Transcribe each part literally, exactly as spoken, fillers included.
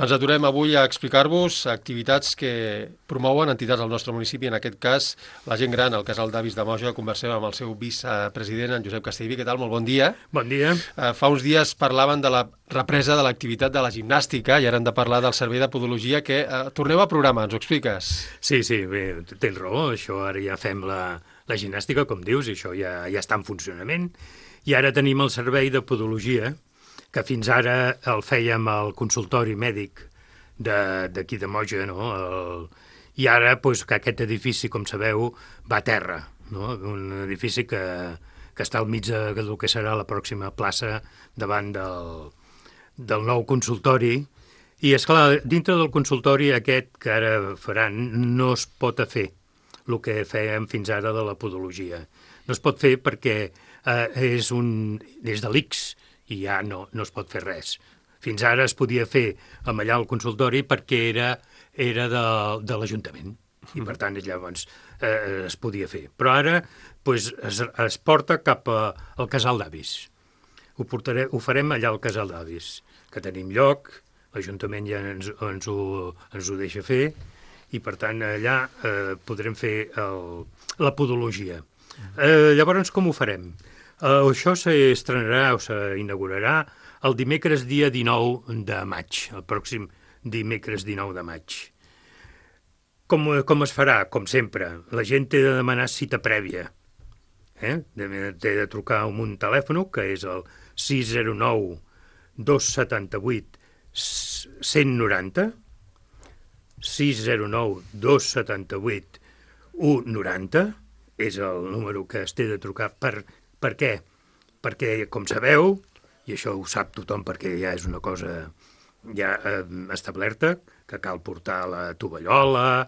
Ens aturem avui a explicar-vos activitats que promouen entitats del nostre municipi, en aquest cas la gent gran, el Casal d'Avis de Moja. Conversem amb el seu vicepresident, en Josep Castellví. Què tal? Molt bon dia. Bon dia. Uh, fa uns dies parlaven de la represa de l'activitat de la gimnàstica i ara hem de parlar del servei de podologia. Que uh, torneu al programa, ens ho expliques? Sí, sí, bé, tens raó, això ara ja fem la, la gimnàstica, com dius, i això ja, ja està en funcionament. I ara tenim el servei de podologia, que fins ara el fèiem al consultori mèdic d'aquí de, de Moja, no? El, I ara, pues, que aquest edifici, com sabeu, va a terra, no? Un edifici que, que està al mig de, del que serà la pròxima plaça davant del, del nou consultori. I, esclar, dintre del consultori aquest que ara faran no es pot fer el que fèiem fins ara de la podologia. No es pot fer perquè eh, és, un, és de l'I C S, i ja no, no es pot fer res. Fins ara es podia fer amb allà al consultori perquè era, era de, de l'Ajuntament, i per tant llavors eh, es podia fer. Però ara pues, es, es porta cap a, al Casal d'Avis. Ho, portaré, ho farem allà al Casal d'Avis, que tenim lloc, l'Ajuntament ja ens, ens, ho, ens ho deixa fer, i per tant allà eh, podrem fer el, la podologia. Eh, llavors com ho farem? Uh, això s'estrenarà o s'inaugurarà el dimecres dia dinou de maig, el pròxim dimecres dinou de maig. Com, com es farà? Com sempre, la gent té de demanar cita prèvia. Eh? Té de trucar amb un telèfon, que és el sis zero nou dos set vuit cent noranta, sis zero nou dos set vuit cent noranta, és el número que es té de trucar per... Per què? Perquè, com sabeu, i això ho sap tothom perquè ja és una cosa ja eh, establerta, que cal portar la tovallola,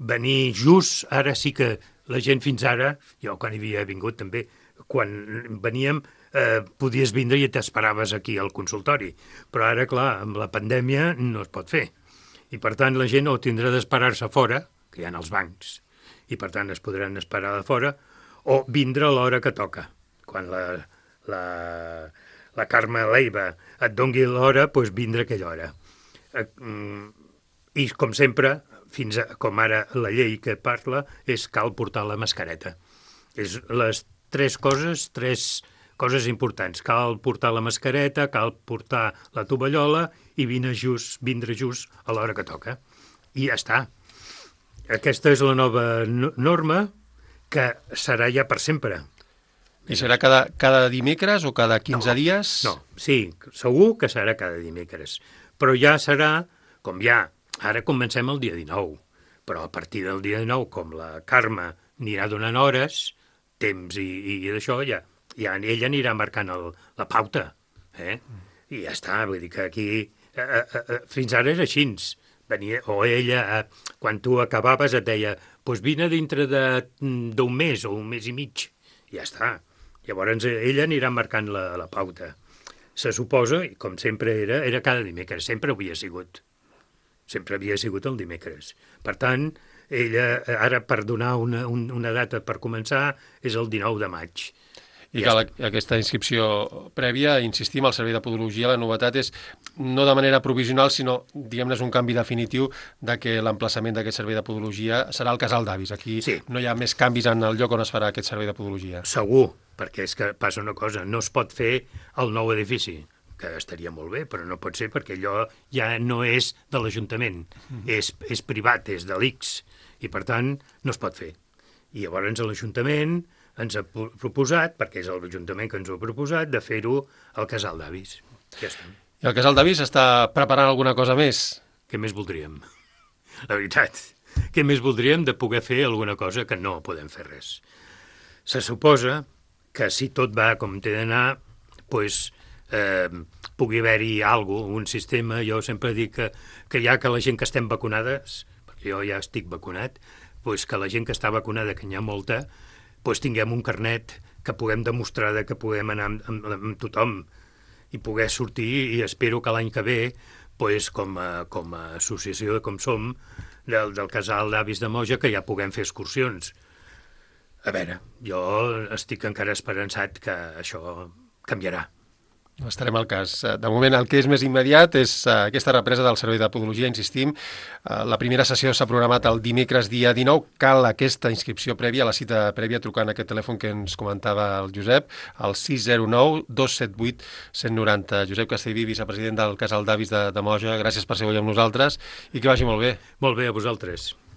venir just, ara sí que la gent fins ara, jo quan hi havia vingut també, quan veníem eh, podies vindre i t'esperaves aquí al consultori, però ara, clar, amb la pandèmia no es pot fer. I per tant la gent o tindrà d'esperar-se fora, que hi ha els bancs, i per tant es podran esperar de fora, o vindre a l'hora que toca. Quan la, la, la Carme Leiva et dongui l'hora, doncs vindre a aquella hora. I, com sempre, fins a, com ara la llei que parla, és cal portar la mascareta. És les tres coses, tres coses importants. Cal portar la mascareta, cal portar la tovallola i vindre just, vindre just a l'hora que toca. I ja està. Aquesta és la nova norma que serà ja per sempre. I serà cada, cada dimecres o cada quinze no, dies? No, sí, segur que serà cada dimecres. Però ja serà, com ja, ara comencem el dia dinou, però a partir del dia dinou, com la Carme anirà donant hores, temps i, i d'això, ja, ja ella anirà marcant el, la pauta. Eh? I ja està, vull dir que aquí, eh, eh, fins ara era així. Venia, o ella, eh, quan tu acabaves, et deia, doncs vine dintre d'un mes o un mes i mig. Ja està. Llavors ella anirà marcant la, la pauta. Se suposa, i com sempre era, era cada dimecres, sempre havia sigut. Sempre havia sigut el dimecres. Per tant, ella, ara per donar una, una data per començar, és el dinou de maig. I cal aquesta inscripció prèvia, insistim, al servei de podologia, la novetat és no de manera provisional, sinó, diguem-ne, és un canvi definitiu de que l'emplaçament d'aquest servei de podologia serà el Casal d'Avis. Aquí sí. No hi ha més canvis en el lloc on es farà aquest servei de podologia. Segur, perquè és que passa una cosa, no es pot fer el nou edifici, que estaria molt bé, però no pot ser perquè allò ja no és de l'Ajuntament, mm. és, és privat, és de l'I C S, i per tant no es pot fer. I llavors l'Ajuntament ens ha proposat, perquè és l'Ajuntament que ens ho ha proposat, de fer-ho al Casal d'Avis. Ja està. I el Casal d'Avis està preparant alguna cosa més? Què més voldríem? La veritat, què més voldríem de poder fer alguna cosa que no podem fer res? Se suposa que si tot va com té d'anar, doncs eh, pugui haver-hi alguna cosa, un sistema. Jo sempre dic que, que ja que la gent que estem vacunades, perquè jo ja estic vacunat, doncs que la gent que està vacunada, que n'hi ha molta, doncs tinguem un carnet que puguem demostrar que puguem anar amb, amb, amb tothom i poder sortir, i espero que l'any que ve, doncs, com, a, com a associació com som, del, del Casal d'Avis de Moja, que ja puguem fer excursions. A veure, jo estic encara esperançat que això canviarà. Estarem al cas. De moment, el que és més immediat és aquesta represa del servei de podologia, insistim. La primera sessió s'ha programat el dimecres dia dinou. Cal aquesta inscripció prèvia, la cita prèvia, trucant a aquest telèfon que ens comentava el Josep, al sis zero nou dos set vuit cent noranta. Josep Castellví, vicepresident del Casal d'Avis de, de Moja, gràcies per ser avui amb nosaltres i que vagi molt bé. Molt bé, a vosaltres.